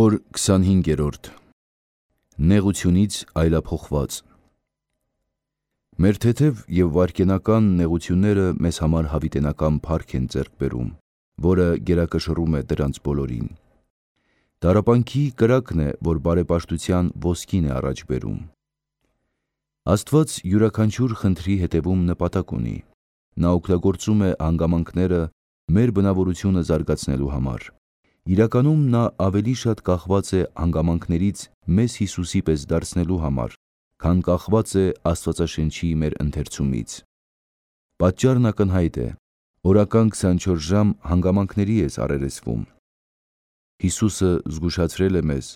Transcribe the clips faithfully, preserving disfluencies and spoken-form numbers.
Զինվոր քսանհինգերորդ Նեղությունից այլափոխված Մեր թեթև և վայրկենական նեղությունները մեզ համար հավիտենական փառք են ձեռք բերում, որը գերակշռում է դրանց բոլորին։ Տառապանքի կրակն է, որ բարեպաշտության ոսկին է առաջ բերում։ Աստված յուրաքանչյուր խնդրի հետևում նպատակ ունի։ Նա օգտագործում է հանգամանքները մեր բնավորությունը զարգացնելու համար։ Իրականում նա ավելի շատ կախված է հանգամանքներից մեզ Հիսուսի պես դարձնելու համար, քան կախված է Աստվածաշնչի մեր ընթերցումից։ Պատճառն ակնհայտ է. օրական քսանչորս ժամ հանգամանքների ես առերեսվում։ Հիսուսը զգուշացրել է մեզ,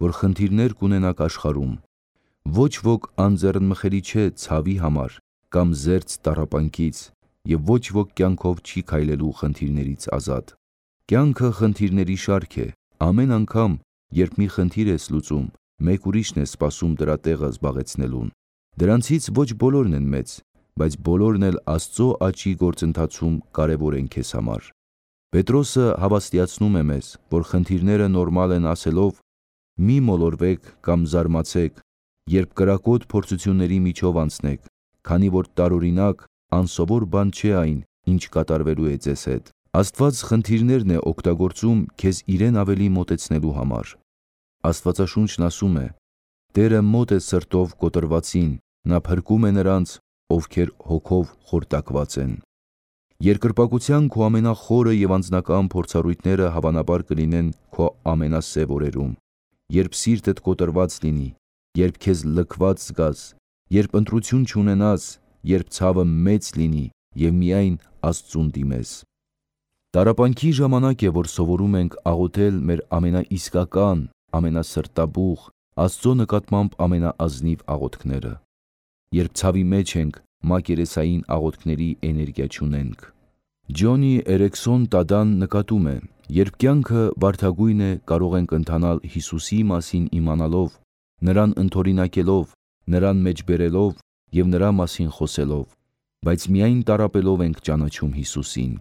որ խնդիրներ կունենաք աշխարհում։ Ոչ ոք անձեռնմխելի չէ ցավի համար կամ զերծ տառապանքից, և ոչ ոք կյանքով չի քայլելու խնդիրներից ազատ։ Կյանքը խնդիրների շարք է։ Ամեն անգամ, երբ մի խնդիր ես լուծում, մեկ ուրիշն է սպասում դրա տեղը զբաղեցնելուն։ Դրանցից ոչ բոլորն են մեծ, բայց բոլորն էլ Աստծո աճի գործընթացում կարևոր են քեզ համար։ Պետրոսը հավաստիացնում է մեզ, որ խնդիրները նորմալ են ասելով. «Մի մոլորվեք կամ զարմացեք, երբ կրակոտ փորձությունների միջով անցնեք, քանի որ տարօրինակ, անսովոր բան չէ այն, ինչ կատարվելու է ձեզ հետ»։ Աստված խնդիրներն է օգտագործում քեզ իրեն ավելի մոտեցնելու համար։ Աստվածաշունչն ասում է. «Տերը մոտ է սրտով կոտրվածին, նա փրկում է նրանց, ովքեր հոգով խորտակված են»։ Երկրպագության քո ամենախորը և անձնական փորձառույթները հավանաբար կլինեն քո ամենասև օրերում, երբ սիրտդ կոտրված լինի, երբ քեզ լքված զգաս, երբ ընտրություն չունենաս, երբ ցավը մեծ լինի և միայն Աստծուն դիմես։ Տառապանքի ժամանակ է, որ սովորում ենք աղոթել մեր ամենաիսկական, ամենասրտաբուխ, Աստծո նկատմամբ ամենաազնիվ աղոթքները։ Երբ ցավի մեջ ենք, մակերեսային աղոթքների էներգիա չունենք։ Ջոնի Էրիքսոն Տադան նկատում է. երբ կյանքը բարդագույն է, կարող ենք ընթանալ Հիսուսի մասին իմանալով, նրան ընդօրինակելով, նրան մեջ բերելով և նրա մասին խոսելով, բայց միայն տառապելով ենք ճանաչում Հիսուսին։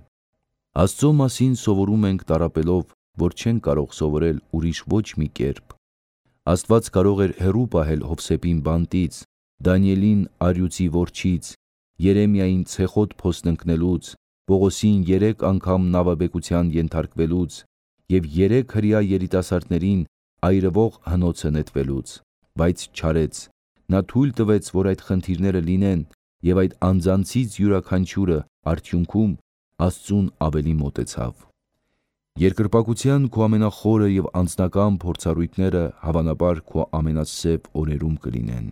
Աստծո մասին սովորում ենք տառապելով, որ չենք կարող սովորել ուրիշ ոչ մի կերպ։ Աստված կարող էր հեռու պահել Հովսեփին բանտից, Դանիելին առյուծի որջից, Երեմիային ցեխոտ փոստ ընկնելուց, Պողոսին երեք անգամ նավաբեկության ենթարկվելուց և երեք հրեա երիտասարդներին այրվող հնոցը նետվելուց, բայց չարեց։ Նա թույլ տվեց, որ այդ խնդիրները լինեն, և այդ անձանցից յուրաքանչյուրը արդյունքում Աստծուն ավելի մոտեցավ։ Երկրպագության քո ամենախորը և անձնական փորձառույթները հավանաբար քո ամենասև օրերում կլինեն։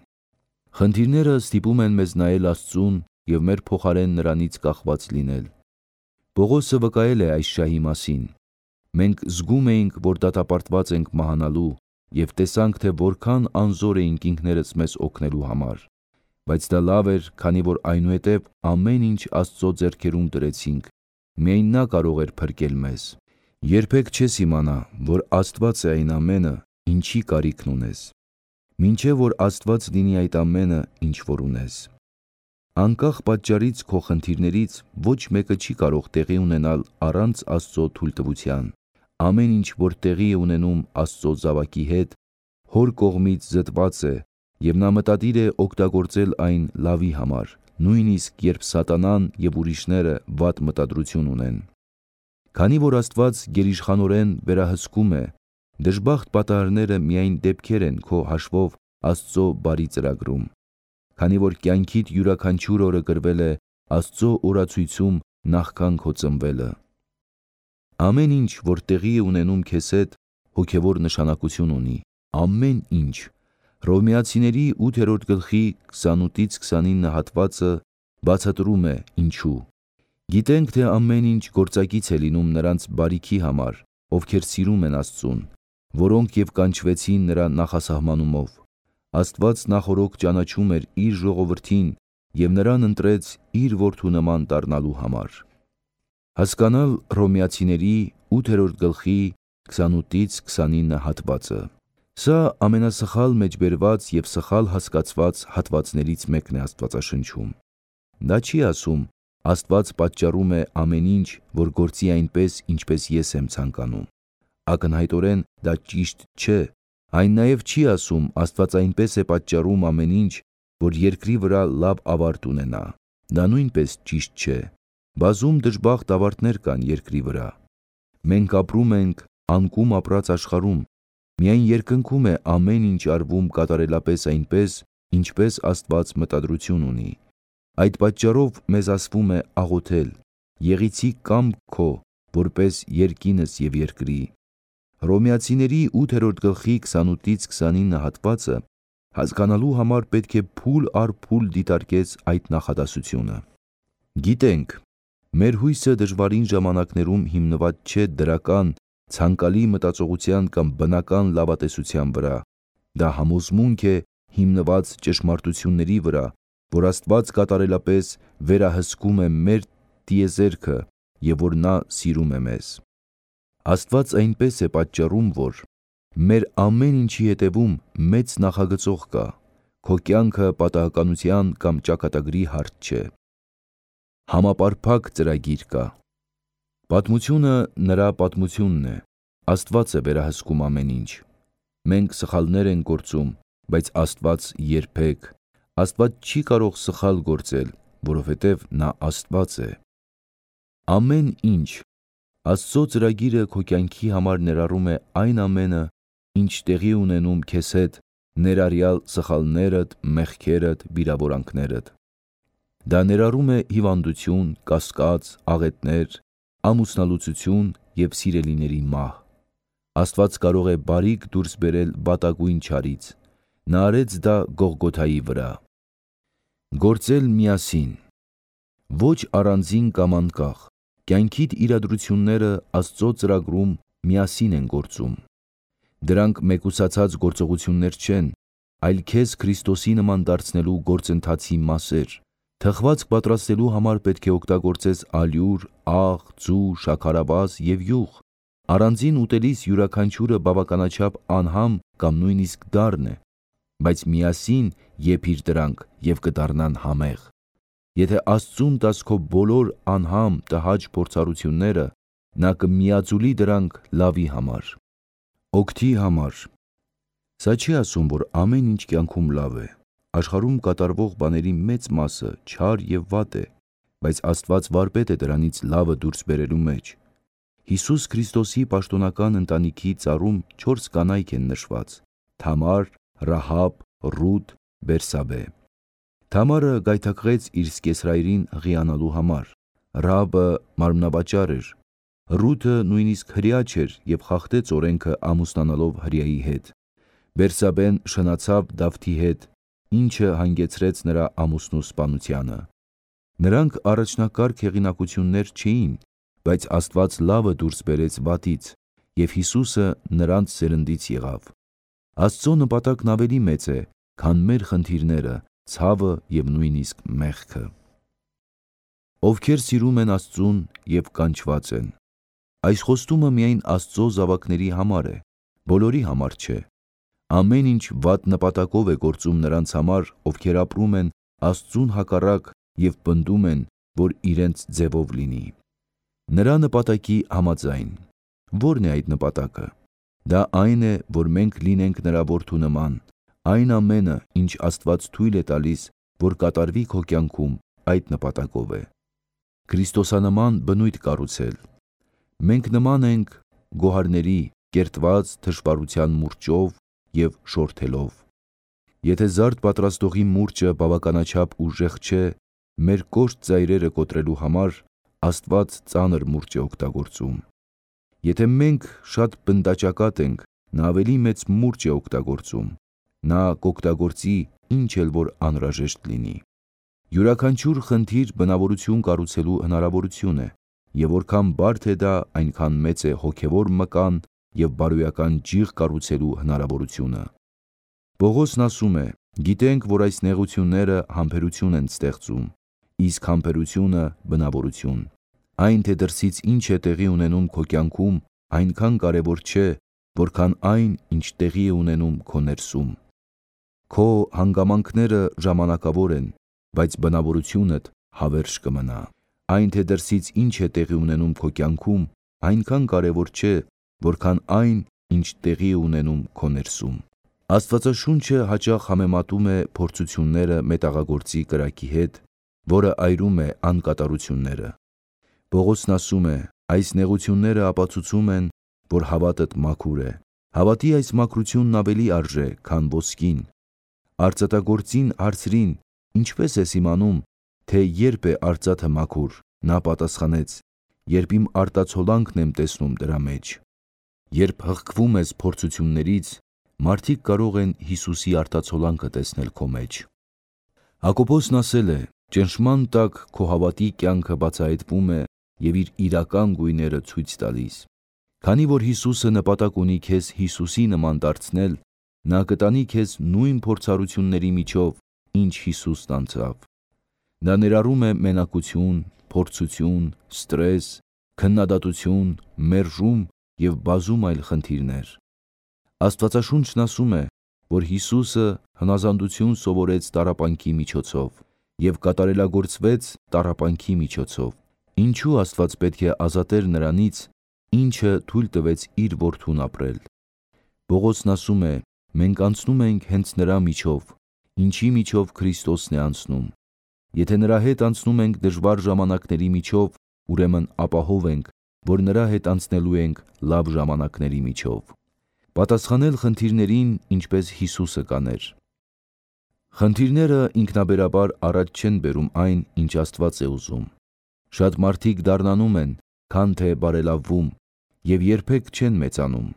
Խնդիրները ստիպում են մեզ նայել Աստծուն և մեր փոխարեն նրանից կախված լինել։ Պողոսը վկայել է այս շահի մասին. «Մենք զգում էինք, որ դատապարտված ենք մահանալու, և տեսանք, թե որքան անզոր էինք ինքներս մեզ օգնելու համար։ Բայց դա լավ էր, քանի որ այնուհետև ամեն ինչ Աստծո ձեռքերում դրեցինք, միայն նա կարող էր փրկել մեզ»։ Երբեք չես իմանա, որ Աստված է այն ամենը, ինչի կարիքն ունես, մինչև որ Աստված լինի այդ ամենը, ինչ որ ունես։ Անկախ պատճառից քո խնդիրներից ոչ մեկը չի կարող տեղի ունենալ առանց Աստծո թույլտվության։ Ամեն ինչ, որ տեղի է ունենում Աստծո զավակի հետ, Հոր կողմից զտված է, և նա մտադիր է օգտագործել այն լավի համար, նույնիսկ երբ սատանան և ուրիշները վատ մտադրություն ունեն։ Քանի որ Աստված գերիշխանորեն վերահսկում է, դժբախտ պատահարները միայն դեպքեր են քո հաշվով Աստծո բարի ծրագրում։ Քանի որ կյանքիդ յուրաքանչյուր օրը գրվել է Աստծո օրացույցում նախքան քո ծնվելը։ Ամեն ինչ, որ տեղի է ունենում քեզ հետ, հոգևոր նշանակություն ունի։ Ամեն ինչ։ Հռոմեացիների ութերորդ գլխի քսանութից քսանինը հատվածը բացատրում է ինչու։ Գիտենք, թե ամեն ինչ գործակից է լինում նրանց բարիքի համար, ովքեր սիրում են Աստծուն, որոնք և կանչվեցին նրա նախասահմանումով։ Աստված նախօրոք ճանաչում էր իր ժողովրդին և նրան ընտրեց իր որդու նման դառնալու համար։ Հասկանալ Հռոմեացիների ութերորդ գլխի քսանութից քսանինը հատվածը։ Սա ամենասխալ մեջբերված և սխալ հասկացված հատվածներից մեկն է Աստվածաշնչում։ Դա չի ասում. Աստված պատճառում է ամեն ինչ, որ գործի այնպես, ինչպես ես եմ ցանկանում։ ակնհայտորեն դա ճիշտ չէ։ Այն նաև չի ասում Աստված այնպես է պատճառում ամեն ինչ, որ երկրի վրա լավ ավարտ ունենա։ Դա նույնպես ճիշտ չէ։ Բազում դժբախտ ավարտներ կան երկրի վրա։ Մենք ապրում ենք անկում ապրած աշխարհում։ Միայն երկնքում է ամեն ինչ արվում կատարելապես այնպես, ինչպես Աստված մտադրություն ունի։ Այդ պատճառով մեզ ասվում է աղոթել. «Եղիցի կամք քո, որպես երկինս և երկրի»։ Հռոմեացիների ութերորդ գլխի քսանութից քսանինը հատվածը հասկանալու համար պետք է փուլ առ փուլ դիտարկես այդ նախադասությունը։ Գիտենք, մեր հույսը դժվարին ժամանակներում հիմնված չէ դրական, ցանկալի մտածողության կամ բնական լավատեսության վրա։ Դա համոզմունք է հիմնված ճշմարտությունների վրա, որ Աստված կատարելապես վերահսկում է մեր տիեզերքը և որ նա սիրում է մեզ։ Աստված այնպես է պատճառում, որ մեր ամեն ինչի հետևում մեծ նախագծող կա։ Քո կյանքը պատահականության կամ ճակատագրի հարց չէ։ Համապարփակ ծրագիր կա։ Պատմությունը նրա պատմությունն է։ Աստված է վերահսկում ամեն ինչ։ Մենք սխալներ ենք գործում, բայց Աստված երբեք։ Աստված չի կարող սխալ գործել, որովհետև նա Աստված է։ Ամեն ինչ։ Աստծո ծրագիրը քո կյանքի համար ներառում է այն ամենը, ինչ տեղի ունենում քեզ հետ, ներառյալ սխալներդ, մեղքերդ, վիրավորանքներդ։ Դա ներառում է հիվանդություն, կասկած, աղետներ, ամուսնալուծություն և սիրելիների մահ։ Աստված կարող է բարիք դուրս բերել վատագույն չարից։ Նա արեց դա Գողգոթայի վրա։ Գործել միասին։ Ոչ առանձին կամ անկախ։ Կյանքիդ իրադրությունները Աստծո ծրագրում միասին են գործում։ Դրանք մեկուսացած գործողություններ չեն, այլ քեզ Քրիստոսի նման դարձնելու գործընթացի մասեր։ Թխվածք պատրաստելու համար պետք է օգտագործես ալյուր, աղ, ձու, շաքարավազ և յուղ։ Առանձին ուտելիս յուրաքանչյուրը բավականաչափ անհամ կամ նույնիսկ դառն է, բայց միասին եփիր դրանք և կդառնան համեղ։ Եթե Աստծուն տաս քո բոլոր անհամ, տհաճ փորձառությունները, նա կմիաձուլի դրանք լավի համար, օգտի համար։ Սա չի ասում, որ ամեն ինչ կյանքում լավ է։ Աշխարհում կատարվող բաների մեծ մասը չար և վատ է, բայց Աստված վարպետ է դրանից լավը դուրս բերելու մեջ։ Հիսուս Քրիստոսի պաշտոնական ընտանիքի ծառում չորս կանայք են նշված. Թամար, Ռահաբ, Ռութ, Բերսաբե։ Թամարը գայթակղեց իր սկեսրայրին հղիանալու համար։ Ռահաբը մարմնավաճառ էր։ Ռութը նույնիսկ հրեա չէր և խախտեց օրենքը ամուսնանալով հրեայի հետ։ Բերսաբեն շնացավ Դավթի հետ, ինչը հանգեցրեց նրա ամուսնու սպանությանը։ Նրանք առաջնակարգ հեղինակություններ չէին, բայց Աստված լավը դուրս բերեց վատից, և Հիսուսը նրանց սերնդից եղավ։ Աստծո նպատակն ավելի մեծ է, քան մեր խնդիրները, ցավը և նույնիսկ մեղքը։ Ովքեր սիրում են Աստծուն և կանչված են։ Այս խոստումը միայն Աստծո զավակների համար է, բոլորի համար չէ։ Ամեն ինչ վատ նպատակով է գործում նրանց համար, ովքեր ապրում են Աստծուն հակառակ և պնդում են, որ իրենց ձևով լինի։ Նրա նպատակի համաձայն։ Ո՞րն է այդ նպատակը։ Դա այն է, որ մենք լինենք նրա որդու նման։ Այն ամենը, ինչ Աստված թույլ է տալիս, որ կատարվի քո կյանքում, այդ նպատակով է։ Քրիստոսանման բնույթ կառուցել։ Մենք նման ենք գոհարների, կերտված թշվառության մուրճով և շորթելով։ Եթե զարդ պատրաստողի մուրճը բավականաչափ ուժեղ չէ մեր կոշտ ծայրերը կոտրելու համար, Աստված ծանր մուրճ է օգտագործում։ Եթե մենք շատ բնտաճակատ ենք, նա ավելի մեծ մուրճ է օգտագործում։ Նա կօգտագործի ինչ էլ որ անհրաժեշտ լինի։ Յուրաքանչյուր խնդիր բնավորություն կառուցելու հնարավորություն է, և որքան բարդ է դա, այնքան մեծ է հոգևոր մկան և բարոյական ջիղ կառուցելու հնարավորությունը։ Պողոսն ասում է. «Գիտենք, որ այս նեղությունները համբերություն են ստեղծում, իսկ համբերությունը բնավորություն։ Այն, թե դրսից ինչ է տեղի ունենում քո կյանքում, այնքան կարևոր չէ, որքան այն, ինչ տեղի է ունենում քո ներսում։ Քո հանգամանքները ժամանակավոր են, բայց բնավորությունդ հավերժ կմնա։ Այն, թե դրսից ինչ է տեղի ունենում քո կյանքում, այնքան կարևոր չէ, որքան այն, ինչ տեղի է ունենում քո ներսում։ Աստվածաշունչը հաճախ համեմատում է փորձությունները մետաղագործի կրակի հետ, որը այրում է անկատարությունները։ Պողոսն ասում է. այս նեղությունները ապացուցում են, որ հավատդ մաքուր է։ Հավատի այս մաքրությունն ավելի արժե, քան ոսկին։ Արծաթագործին հարցրին. ինչպես ես իմանում, թե երբ է արծաթը մաքուր։ Նա պատասխանեց. երբ իմ արտացոլանքն եմ տեսնում դրա մեջ։ Երբ հղկվում ես փորձություններից, մարդիկ կարող են Հիսուսի արտացոլանքը տեսնել քո մեջ։ Հակոբոսն ասել է. ճնշման տակ քո հավատի կյանքը բացահայտվում է և իր իրական գույները ցույց տալիս։ Քանի որ Հիսուսը նպատակ ունի քեզ Հիսուսի նման դարձնել, նա կտանի քեզ նույն փորձառությունների միջով, ինչ Հիսուսն անցավ։ Դա ներառում է մենակություն, փորձություն, ստրես, քննադատություն, մերժում և բազում այլ խնդիրներ։ Աստվածաշունչն ասում է, որ Հիսուսը հնազանդություն սովորեց տառապանքի միջոցով և կատարելագործվեց տառապանքի միջոցով։ Ինչու Աստված պետք է ազատեր նրանից, ինչը թույլ տվեց իր որդուն ապրել։ Պողոսն ասում է. մենք անցնում ենք հենց նրա միջով, ինչի միջով Քրիստոսն է անցնում։ Եթե նրա հետ անցնում ենք դժվար ժամանակների միջով, ուրեմն ապահով ենք, որ նրա հետ անցնելու ենք լավ ժամանակների միջով։ Պատասխանել խնդիրներին, ինչպես Հիսուսը կաներ։ Խնդիրները ինքնաբերաբար առաջ չեն բերում այն, ինչ Աստված է ուզում։ Շատ մարդիկ դառնանում են, քան թե բարելավվում, և երբեք չեն մեծանում։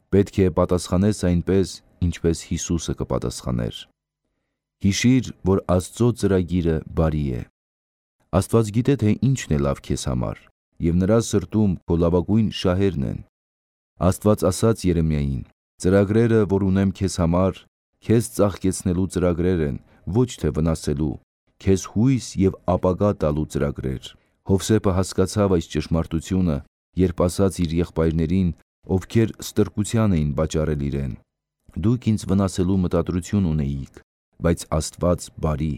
Պետք է պատասխանես այնպես, ինչպես Հիսուսը կպատասխաներ։ Հիշիր, որ Աստծո ծրագիրը բարի է։ Աստված գիտե, թե ինչն է լավ քեզ համար, և նրա սրտում քո լավագույն շահերն են։ Աստված ասաց Երեմիային. ծրագրերը, որ ունեմ քեզ համար, քեզ ծաղկեցնելու ծրագրեր են, ոչ թե վնասելու, քեզ հույս և ապագա տալու ծրագրեր։ Հովսեփը հասկացավ այս ճշմարտությունը, երբ ասաց իր եղբայրներին, ովքեր ստրկության էին վաճառել իրեն. դուք ինձ վնասելու մտադրություն ունեիք, բայց Աստված բարի։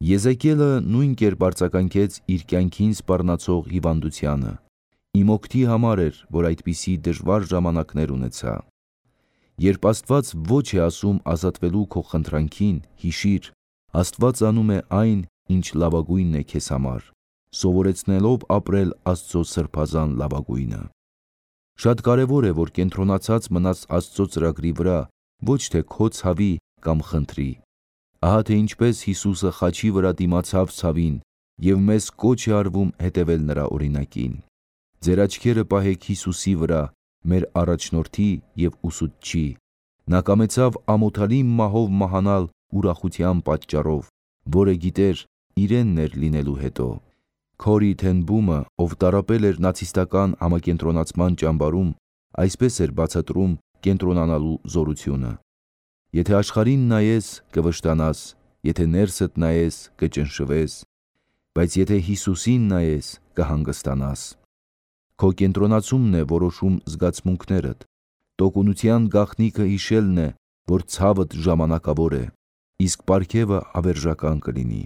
Եզեկիելը նույն կերպ արձագանքեց իր կյանքին սպառնացող հիվանդությանը։ Իմ օգտի համար էր, որ այդպիսի դժվար ժամանակներ ունեցա։ Երբ Աստված ոչ է ասում ազատվելու քո խնդրանքին, հիշիր, Աստված անում է այն, ինչ լավագույնն է քեզ համար, սովորեցնելով ապրել Աստծո սրբազան լավագույնը։ Շատ կարևոր է, որ կենտրոնացած մնաս Աստծո ծրագրի վրա, ոչ թե քո ցավի կամ խնդրի։ Ահա թե ինչպես Հիսուսը խաչի վրա դիմացավ ցավին, և մեզ կոչ է արվում հետևել նրա օրինակին։ Ձեր աչքերը պահեք Հիսուսի վրա, մեր առաջնորդի և ուսուցչի։ Նա կամեցավ ամոթալի մահով մահանալ ուրախության պատճառով, որը գիտեր իրենն էր լինելու հետո։ Քորի Թեն Բումը, ով տառապել էր նացիստական համակենտրոնացման ճամբարում, այսպես էր բացատրում կենտրոնանալու զորությունը. եթե աշխարհին նայես, կվշտանաս, եթե ներսդ նայես, կճնշվես, բայց եթե Հիսուսին նայես, կհանգստանաս։ Քո կենտրոնացումն է որոշում զգացմունքներդ։ Տոկունության գաղտնիքը հիշելն է, որ ցավդ ժամանակավոր է, իսկ պարգևը հավերժական կլինի։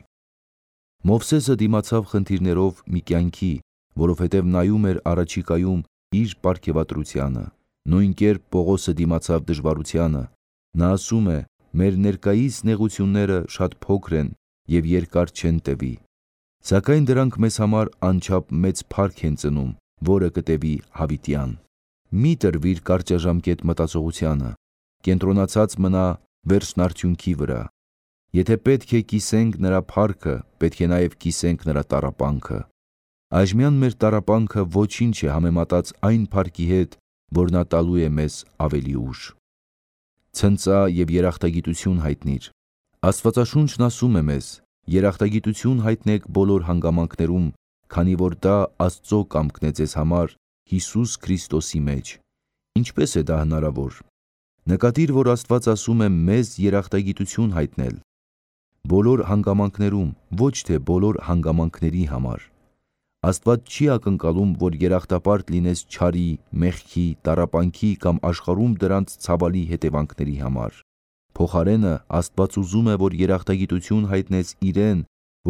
Մովսեսը դիմացավ խնդիրներով մի կյանքի, որովհետև նայում էր առաջիկայում իր պարգևատրությանը։ Նույն կերպ Պողոսը դիմացավ դժվարությանը։ Նա ասում է. մեր ներկայիս նեղությունները շատ փոքր են և երկար չեն տևի, սակայն դրանք մեզ համար անչափ մեծ փառք են ծնում, որը կտևի հավիտյան։ Մի տրվիր կարճաժամկետ մտածողությանը, կենտրոնացած մնա վերջնարդյունքի վրա։ Եթե պետք է կիսենք նրա փառքը, պետք է նաև կիսենք նրա տառապանքը։ Այժմյան մեր տառապանքը ոչինչ է համեմատած այն փառքի հետ, որ նա տալու է մեզ ավելի ուշ։ Ցնծա և երախտագիտություն հայտնիր։ Աստվածաշունչն ասում է մեզ. երախտագիտություն հայտնեք բոլոր հանգամանքներում, քանի որ դա Աստծո կամքն է ձեզ համար Հիսուս Քրիստոսի մեջ։ Ինչպե՞ս է դա հնարավոր։ Նկատիր, որ Աստված ասում է մեզ երախտագիտություն հայտնել։ Բոլոր հանգամանքներում, ոչ թե բոլոր հանգամանքների համար։ Աստված չի ակնկալում, որ երախտապարտ լինես չարի, մեղքի, տառապանքի կամ աշխարհում դրանց ցավալի հետևանքների համար։ Փոխարենը Աստված ուզում է, որ երախտագիտություն հայտնես իրեն,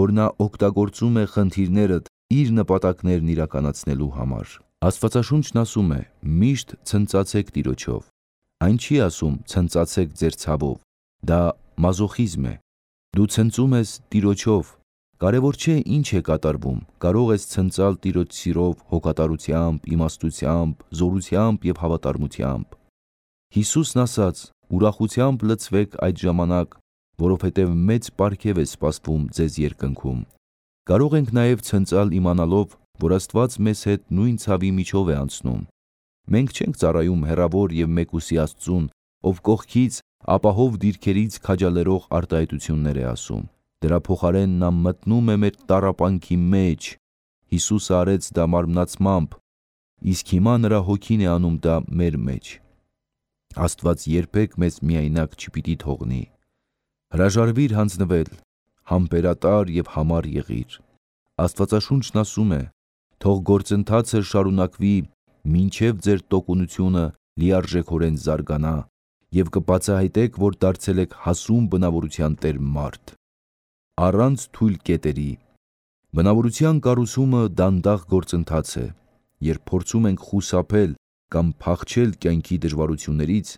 որ նա օգտագործում է խնդիրներդ իր նպատակներն իրականացնելու համար։ Աստվածաշունչն ասում է. «Միշտ ցնծացեք Տիրոջով»։ Այն չի ասում ցնծացեք ձեր ցավով, դա մազոխիզմ է։ Դու ցնծում ես Տիրոջով, կարևոր չէ ինչ է կատարվում, կարող ես ցնծալ Տիրոջ սիրով, հոգատարությամբ, իմաստությամբ, զորությամբ և հավատարմությամբ։ Հիսուսն ասաց. «Ուրախությամբ լցվեք այդ ժամանակ, որովհետև մեծ պարգև է սպասվում ձեզ երկնքում»։ Կարող ենք նաև ցնծալ իմանալով, որ Աստված մեզ հետ նույն ցավի միջով է անցնում։ Մենք չենք ծառայում հեռավոր և մեկուսի Աստծուն, ով կողքից ապահով դիրքերից քաջալերող արտահայտություններ է ասում։ Դրա փոխարեն նա մտնում է մեր տառապանքի մեջ։ Հիսուսը արեց դա մարմնացմամբ, իսկ հիմա նրա հոգին է անում դա մեր մեջ։ Աստված երբեք մեզ միայնակ չպիտի թողնի։ Հրաժարվիր հանձնվել, համբերատար և համառ եղիր։ Աստվածաշունչն ասում է. «Թող գործընթացը շարունակվի, մինչև ձեր տոկունությունը լիարժեքորեն զարգանա, և կբացահայտեք, որ դարձել եք հասուն բնավորության տեր մարդ»։ Առանց թույլ կետերի։ Բնավորության կառուցումը դանդաղ գործընթաց է։ Երբ փորձում ենք խուսափել կամ փախչել կյանքի դժվարություններից,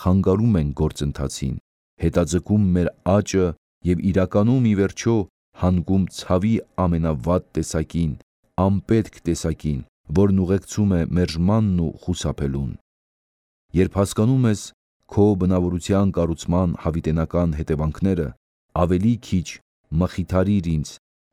խանգարում ենք գործընթացին, հետաձգում մեր աճը և իրականում, ի վերջո, հանգում ցավի ամենավատ տեսակին, անպետք տեսակին, որն ուղեկցում է մերժմանն ու խուսափելուն։ Երբ հասկանում ես քո բնավորության կառուցման հավիտենական հետևանքները, ավելի քիչ մխիթարիր ինձ,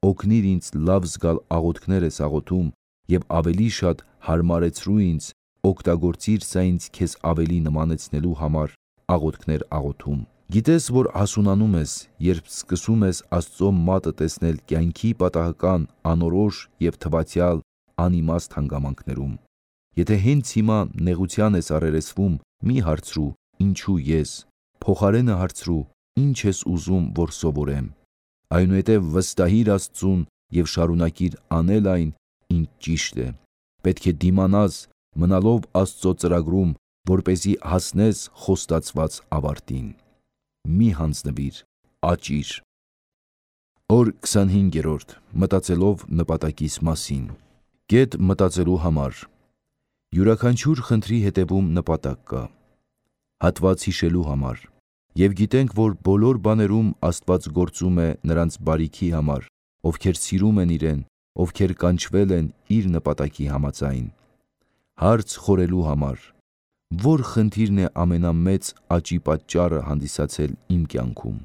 օգնիր ինձ լավ զգալ աղոթքներ ես աղոթում և ավելի շատ հարմարեցրու ինձ, օգտագործիր սա ինձ քեզ ավելի նմանեցնելու համար աղոթքներ աղոթում։ Գիտես, որ հասունանում ես, երբ սկսում ես Աստծո մատը տեսնել կյանքի պատահական, անորոշ և թվացյալ անիմաստ հանգամանքներում։ Եթե հենց հիմա նեղության ես առերեսվում, մի հարցրու. «Ինչու ես»։ Փոխարենը հարցրու. «Ինչ ես ուզում, որ սովորեմ»։ Այնուհետև վստահիր Աստծուն և շարունակիր անել այն, ինչ ճիշտ է։ Պետք է դիմանաս, մնալով Աստծո ծրագրում, որպեսզի հասնես խոստացված ավարտին։ Մի հանձնվիր, աճիր։ Օր քսանհինգերորդ. Մտածելով նպատակիս մասին։ Կետ մտածելու համար։ Յուրաքանչյուր խնդրի հետևում նպատակ կա։ Հատված հիշելու համար։ Եվ գիտենք, որ բոլոր բաներում Աստված գործում է նրանց բարիքի համար, ովքեր սիրում են իրեն, ովքեր կանչվել են իր նպատակի համաձայն։ Հարց խորելու համար. Ո՞ր խնդիրն է ամենամեծ աճի պատճառը հանդիսացել իմ կյանքում։